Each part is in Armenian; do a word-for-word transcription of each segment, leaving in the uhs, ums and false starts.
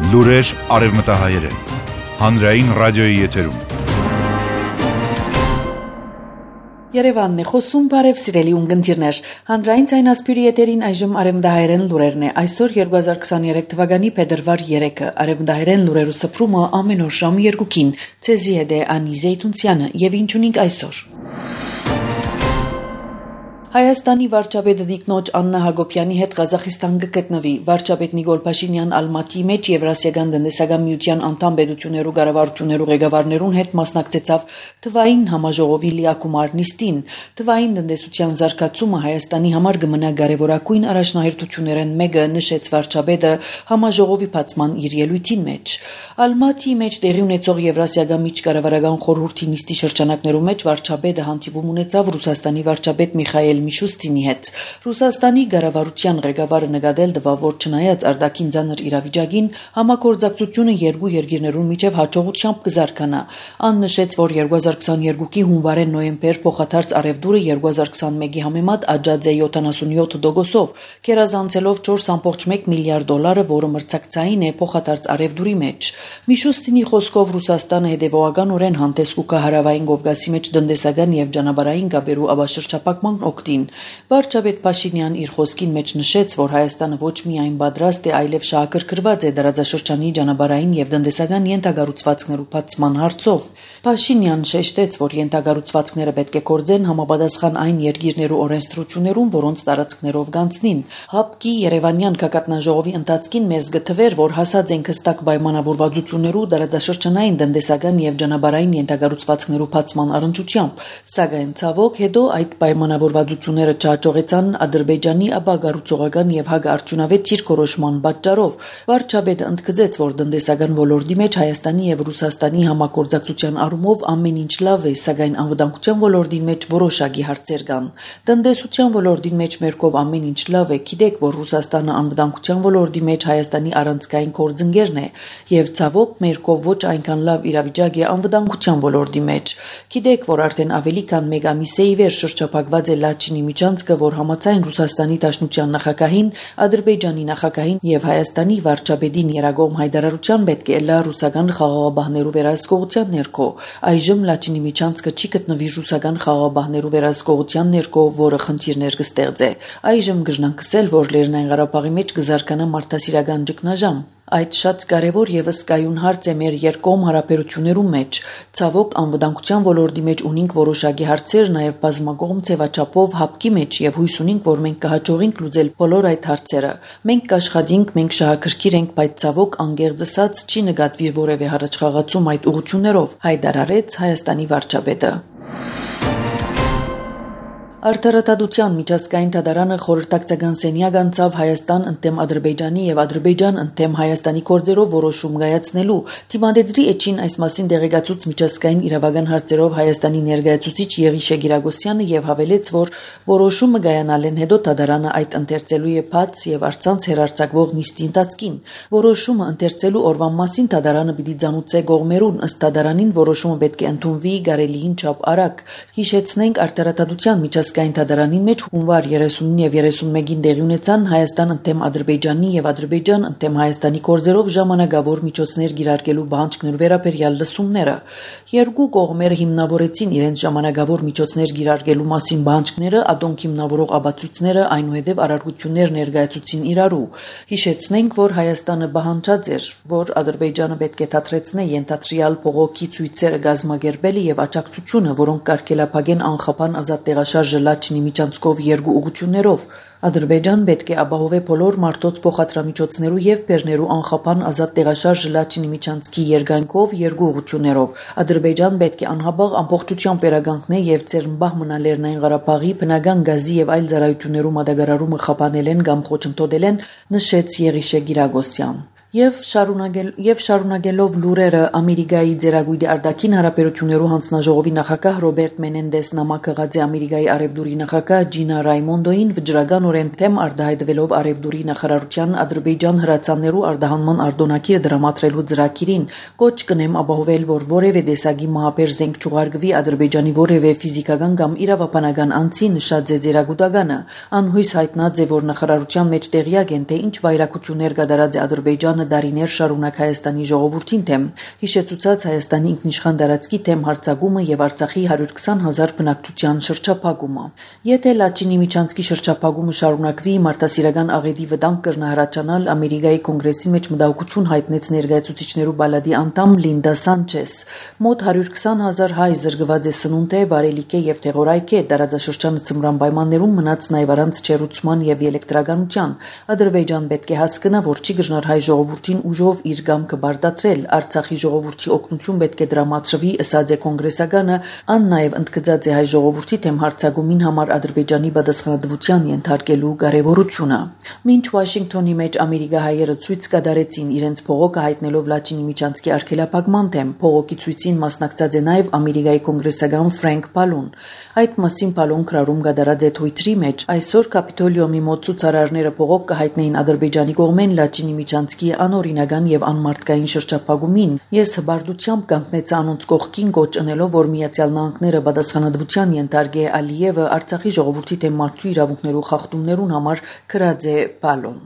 Լուրեր արևմտահայերեն, հանրային ռադիոյի եթերում։ Երևանն է խոսում, բարև սիրելի ունգընտիրներ, հանրային ցայնասպյուրի եթերին այժմ արևմտահայերեն լուրերն է, այսօր երկու հազար քսաներեք թվականի փետրվար երեքը, արևմտահայերեն լուրերու սփռումը ամեն օր ժամը երկուքին, ցեզի հետ է Անի Զեյթունցյանը եւ ինչ ունենք այսօր։ Հայաստանի վարչապետ Տիկնոջ Աննա Հակոբյանի հետ Ղազախստան կգտնվի։ Վարչապետ Նիկոլ Փաշինյան Ալմատի մեջ Եվրասիական տնտեսական միության անդամ պետություններու կառավարություններու ղեկավարներուն հետ մասնակցեցավ թվային համաժողովի լիակումար նիստին։ Թվային տնտեսության զարգացումը Հայաստանի համար կմնա կարևորագույն առաջնահերթություններն մեկը, նշեց վարչապետը համաժողովի բացման իր ելույթին մեջ։ Ալմատի մեջ տեղի ունեցող Եվրասիական միջկառավարական խորհրդի նիստի շրջանակներու մեջ վարչապետը հանդիպում ունեցավ Ռուսաստանի վարչապետ Միխայել Միշուստինի հետ։ Ռուսաստանի կառավարության ղեկավարը նկատել տվավ, որ չնայած արտաքին ծանր իրավիճակին, համագործակցությունը երկու երկիրներուն միջև հաջողությամբ կզարգանա։ Ան նշեց, որ երկու հազար քսաներկուի հունվար-նոյեմբեր փոխադարձ արևդուրը երկու հազար քսանմեկի համեմատ աճած է յոթանասունյոթ տոկոսով, գերազանցելով չորս կoma մեկ միլիարդ դոլարը, որը մրցակցային է փոխադարձ արևդուրի մեջ։ Միշուստինի խոսքով Ռուսաստանը հետևողականորեն հանդես կգա հարավային Կովկասի մեջ տնտեսական եւ ճանապարհային կապերու ավաշրջապակման օգտին։ Վարչապետ Փաշինյան իր խոսքին մեջ նշեց, որ Հայաստանը ոչ միայն պատրաստ է, այլև շահագրգռված է դարաձաշրջանի ճանապարհային եւ տնտեսական յենթակառուցվածքներու բացման հարցով։ Փաշինյան շեշտեց, որ յենթակառուցվածքները պետք է կորձեն համապատասխան այն երկիրներու օրենսդրություններուն, որոնց տարածքներով գանցնին։ ՀԱՊԿ-ի Երևանյան քաղաքնաժողովի ընթացքին մեզ գտվեր, որ հասած ենք հստակ պայմանավորվածություններու դարաձաշրջանային տնտեսական եւ ճանապարհային յենթակառուցվածքներու բացման առընչությամբ, սակայն ցավոք հետո այդ պայմանավորվածությունները չհաջողեցան Ադրբեջանի ապագառուցողական եւ հագարցունավետ դիրքորոշման պատճառով։ Վարչապետը ընդգծեց, որ տնտեսական ոլորտի մեջ Հայաստանի եւ Ռուսաստանի համագործակցության առումով ամեն ինչ լավ է, սակայն անվտանգության ոլորտի մեջ որոշակի հարցեր կան։ Տնտեսության ոլորտի մեջ մերկով ամեն ինչ լավ է, գիտեք, որ Ռուսաստանը անվտանգության ոլորտի մեջ Հայաստանի առանցքային գործընկերն է եւ ցավոք մերկով ոչ այնքան լավ իրավիճակ է անվտանգության ոլորտի մեջ։ Գիտեք, որ արդեն ավելի քան մեկ ամիս է ի վեր շրջափակված է Լաչինի միջանցքը, որ համաձայն Ռուսաստանի Դաշնության նախագահին, Ադրբեջանի նախագահին եւ Հայաստանի վարչապետին երագողմ հայտարարության պետք է լա ռուսական խաղաղապահներու վերահսկողության ներքո։ Այժմ Լաչինի միջանցքը չի գտնվի ռուսական խաղաղապահներու վերահսկողության ներքո, որը խնդիրներ կստեղծե։ Այժմ գրնանք ասել, որ Լեռնային Ղարաբաղի մեջ կզարգանա մարդասիրական ճգնաժամ։ Այդ շատ կարևոր եւս կայուն հարց է մեր երկկողմ հարաբերություններու մեջ։ Ցավոք անվտանգության ոլորտի մեջ ունենք որոշակի հարցեր, նաեւ բազմակողմ ձևաչափով ՀԱՊԿ-ի մեջ եւ հույս ունենք, որ մենք կհաջողենք լուծել բոլոր այդ հարցերը։ Մենք կաշխատենք, մենք շահագրգիռ ենք, բայց ցավոք անգերձ ասած չի նկատվի որևէ հառաչխաղացում այդ ուղղություններով, հայտարարեց Հայաստանի վարչապետը։ Արդարադատության միջազգային դատարանը խորհրդակցական սենյակ անցավ Հայաստան ընդդեմ Ադրբեջանի եւ Ադրբեջան ընդդեմ Հայաստանի գործերով որոշում կայացնելու։ Թիմադեդրի էջին այս մասին դեղեկացուց միջազգային իրավական հարցերով Հայաստանի ներկայացուցիչ Եղիշե Գիրագոսյանը եւ հավելեց, որ որոշումը կայանալեն հետո դատարանը այդ ընթերցելու է բաց եւ առցանց հերարցակվող նիստի ընթացքին։ Որոշումը ընթերցելու օրվան մասին դատարանը պիտի ցանուցե կողմերուն, ըստ դատարանին որոշումը պետք է ընդունվի կարելիին չափ արագ։ Հիշեցնենք արդարադատության միջազգային դատարանի մեջ հունվար երեսունին եւ երեսունմեկին տեղի ունեցան Հայաստան ընդդեմ Ադրբեջանի եւ Ադրբեջան ընդդեմ Հայաստանի գործերով ժամանակավոր միջոցներ գիրարկելու բանջկներու վերաբերյալ լսումները։ Երկու կողմերը հիմնավորեցին իրենց ժամանակավոր միջոցներ գիրարկելու մասին բանջկները, ադոնք հիմնավորող ապացույցները, այնուհետև արարողություններ ներկայացուցին իրարու։ Հիշեցնենք, որ Հայաստանը պահանջած էր, որ Ադրբեջանը պետք է դադրեցնե ենթադրյալ փողոքի ցույցերը գազմագերբելը եւ աջակցությունը, որոնք կարգելափակեն անխափան ազատ տեղաշարժը Լաչինի միջանցքով երկու ուղղություններով։ Ադրբեջան պետք է ապահովե բոլոր մարդոց փոխադրամիջոցներու եւ բեռներու անխափան ազատ տեղաշարժը Լաչինի միջանցքի երկայնքով երկու ուղղություններով։ Ադրբեջան պետք է անհաբաղ ամբողջությամբ վերականգնե եւ ծերմբահ մնա Լեռնային Ղարաբաղի բնական գազի եւ այլ ծառայություններու մատակարարումը խափանել են կամ խոչընդոտել են, նշեց Եղիշե Գիրագոսյան։ Եվ շարունակել եւ շարունակելով լուրերը Ամերիկայի ձերագույդի արտաքին հարաբերություններու հանձնաժողովի նախագահ Ռոբերտ Մենենդես նամակ ըղած է Ամերիկայի արևդուրի նախագահ Ջինա Ռայմոնդոին վճռականորեն թեմ արտահայտվելով արևդուրի նախարարության Ադրբեջան հրացաններու արտահանման արտոնակիրը դրամատրելու ծրագիրին, կոչ կնեմ ապահովել, որ որևէ տեսակի մահաբեր զենք չուղարկվի Ադրբեջանի որևէ ֆիզիկական կամ իրավաբանական անձի, նշած է ձերագուտականը։ Անհույս հայտնած է, որ նախարարության մեջ տեղյակ են, թե ինչ վայրակություններ կատարած է Ադրբեջանը Ռուսաստանը դարիներ շարունակ Հայաստանի ժողովրդին թեմ, հիշեցուցած Հայաստանի ինքնիշխան տարածքի թեմ հարձակումը եւ Արցախի հարյուր քսան հազար բնակչության շրջափակումը։ Եթե Լաչինի միջանցքի շրջափակումը շարունակվի, մարդասիրական աղետի վտանգ կրնահարաճանալ Ամերիկայի կոնգրեսի մեջ մտահոգություն հայտնեց ներկայացուցիչներու բալադի անդամ Լինդա Սանչես։ Մոտ հարյուր քսան հազար հայ զրկված է սնունդ է, վարելիք է եւ տեղորայք է, տարածաշրջանը ծմրան պայմաններում մնաց նաեւ առանց չերուցման եւ էլեկտրականության։ Ադրբեջան պետք է հասկանա, որ չի գժնար հայ ժողովրդին ուժով իր գամքը բարտադրել, Արցախի ժողովրդի օգնություն պետք է դրամատրվի, ըսած է կոնգրեսականը, ան նաեւ ընդգծած է հայ ժողովրդի թեմ հարձակումին համար Ադրբեջանի պատասխանատվության ենթարկելու կարեւորությունը։ Մինչ Վաշինգտոնի մեջ ամերիկահայերը ցույց կատարեցին իրենց փողոքը հայտնելով Լաչինի միջանցքի արգելափակման թեմ, փողոքի ցույցին մասնակցած է նաեւ Ամերիկայի կոնգրեսական Ֆրենկ Պալոն։ Այդ մասին Պալոն քրարում գդարած է Twitter-ի մեջ այսօր Կապիտոլիոմի մոտ ցուցարարները փողոք կհայտնեին Ադրբեջանի կողմեն Լաչինի միջանցքի անօրինական եւ անմարդկային շրջափակումին։ Ես հբարդությամբ կանգնեցա անոնց կողքին կոչ ընելով, որ Միացյալ Նահանգները պատասխանատվության ենթարկե Ալիևը Արցախի ժողովրդի թեմ մարդու իրավունքներու խախտումներուն համար քրած է Պալոն։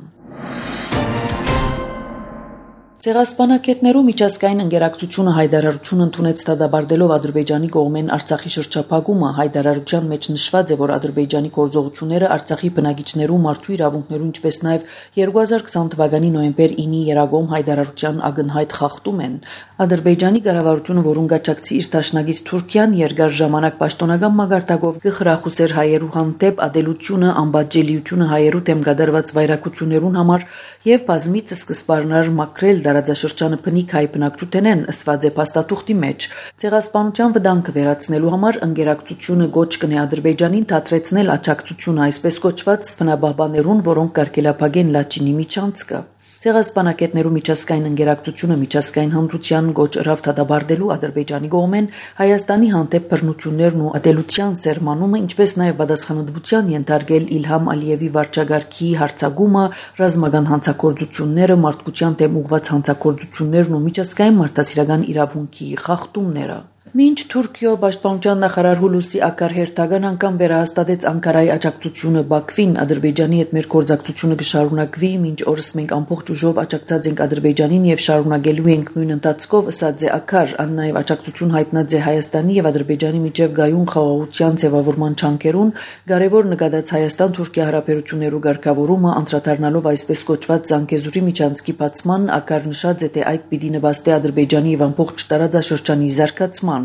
Ցեղասպանակետներու միջազգային ընկերակցությունը հայտարարություն ընդունեց դադարելով Ադրբեջանի կողմեն Արցախի շրջափակումը։ Հայտարարության մեջ նշված է, որ Ադրբեջանի գործողությունները Արցախի բնակիչներու մարդու իրավունքներու, ինչպես նաև երկու հազար քսան թվականի նոյեմբեր ինի երագոմ հայտարարության ակնհայտ խախտում են։ Ադրբեջանի կառավարությունը, որուն գաչակցի իր դաշնակից Թուրքիան, երկար ժամանակ պաշտոնական մագարտակով կխրախուսեր հայերու հանդեպ ադելությունը, անբաժանելիությունը հայերու դեմ կատարված վայրակություններուն համար եւ բազմիցս սկսպարներ մաքրել տարածաշրջանը բնիկ հայ բնակչութենեն, ըսված է փաստաթուղթի մեջ։ Ցեղասպանության վտանգը վերացնելու համար ընկերակցությունը գոչ կնե Ադրբեջանին դադրեցնել աջակցությունը այսպես կոչված բնաբաբաներուն, որոնք կարգելափակեն Լաչինի միջանցքը։ Ցեղասպանակետներու միջազգային ընկերակցությունը միջազգային հանրության գոչ ըրավ դադարելու Ադրբեջանի կողմեն Հայաստանի հանդեպ բռնություններն ու ատելության սերմանումը, ինչպես նաև պատասխանատվության ենթարկել Իլհամ Ալիևի վարչագահի հարձակումը, ռազմական հանցագործությունները, մարդկության դեմ ուղղված հանցագործություններն ու միջազգային մարդասիրական իրավունքի խախտումները։ Մինչ Թուրքիո պաշտպանության նախարար Հուլուսի Ակար հերթական անգամ վերահաստատեց Անկարայի աջակցությունը Բաքվին, Ադրբեջանի հետ մեր գործակցությունը կշարունակվի, մինչ օրս մենք ամբողջ ուժով աջակցած ենք Ադրբեջանին եւ շարունակելու ենք նույն ընթացքով, ըսած է Ակար, ան նաեւ աջակցություն հայտնած է Հայաստանի եւ Ադրբեջանի միջև գայուն խաղաղության ձևավորման չանքերուն, կարևոր նկատած Հայաստան-Թուրքիա հարաբերություններու ղեկավարումը անդրադառնալով այսպես կոչված Զանգեզուրի միջանցքի բացման, Ակար նշած է, թե այդ պիտի նպաստի Ադրբեջանի եւ ամբողջ տարածաշրջանի զարգացման։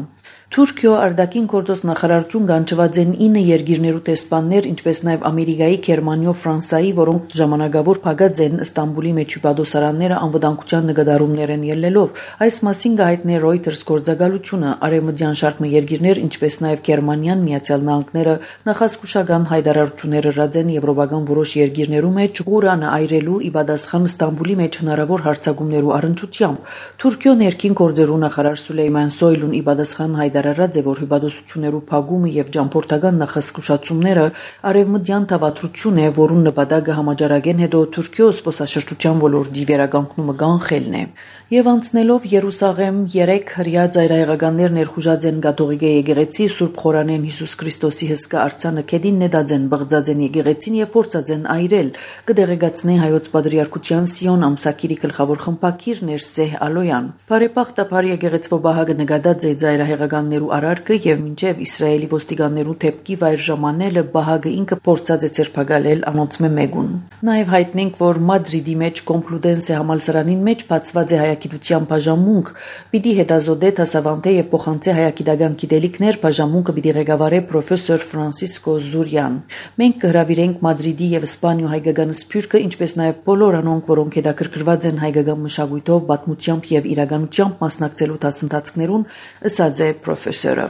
Թուրքիո արտաքին գործոս նախարարություն կանչված են ինը երկիրներու տեսփաններ, ինչպես նաև Ամերիկայի, Գերմանիո, Ֆրանսայի, որոնք ժամանակավոր փակած են Ստամբուլի մեջ հյուպատոսարանները անվտանգության նկատառումներ են ելնելով։ Այս մասին կհայտնի Reuters գործակալությունը, արևմտյան շարք երկիրներ, ինչպես նաև Գերմանիան, Միացյալ Նահանգները նախազգուշական հայտարարություններ ըրած են եվրոպական որոշ երկիրներու մեջ Ղուրանը այրելու ի պատասխան Ստամբուլի մեջ հնարավոր հարձակումներու առնչությամբ։ Թուրքիո ներքին գործերու նախարար Սուլեյման Սոյլուն ի պատասխան հայտարարած է, որ հյուպատոսություններու փակումը եւ ճամփորդական նախազգուշացումները արևմտյան թավատրություն է, որուն նպատակը համաճարակեն հետո Թուրքիո սպասաշրջության ոլորտի վերականգնումը կանխելն է։ Եվ անցնելով Երուսաղեմ երեք հրյա ծայրահեղականներ ներխուժած են կաթողիկե եկեղեցի Սուրբ Խորանեն Հիսուս Քրիստոսի հսկա արձանը քեդին նետած են բղծած են եկեղեցին եւ փորձած են այրել։ Կդեղեկացնե հայոց պատրիարքության Սիոն ամսակիրի գլխավոր խմբակիր Ներսեհ Ալոյան։ Բարեբախտաբար եկեղեցվո բահագը նկատած է ծայրահեղականներու արարքը եւ մինչեւ Իսրայելի ոստիկաններու թեփքի վայր ժամանելը բահագը ինքը փորձած է ցերպակալել անոնց մեկուն։ Նաեւ հայտնենք, որ Մադրիդի մեջ Կոմպլուտենսե համալսարանին մեջ բացված է հայագիտության բաժանմունք, պիտի հետազոտե դասավանդե եւ փոխանցե հայագիտական գիտելիքներ, բաժանմունքը պիտի ղեկավարե պրոֆեսոր Ֆրանսիսկո Զուրյան։ Մենք կհրավիրենք Մադրիդի եւ Իսպանիո հայկական սփյուռքը, ինչպես նաեւ բոլոր անոնք, որոնք հետաքրքրված են հայկական մշակույթով, պատմությամբ եւ իրականությամբ մասնակցելու դասընթացներուն, ըսած է պրոֆեսորը։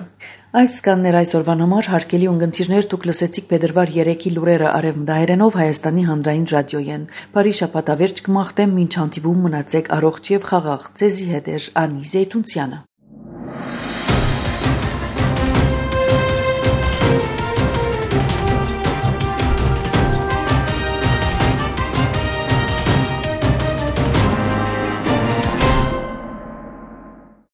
Այս կաններ այսօրվան համար հարկելի ունգընտիրներ դուք լսեցիք փետրվար երեքի լուրերը արևմտահայերենով Հայաստանի հանրային ռադիոյեն։ Բարի շաբաթավերջ կմաղթեմ, մինչ հանդիպում մնացեք առողջ եւ խաղաղ։ Ձեզի հետ է Անի Զեյթունցյանը։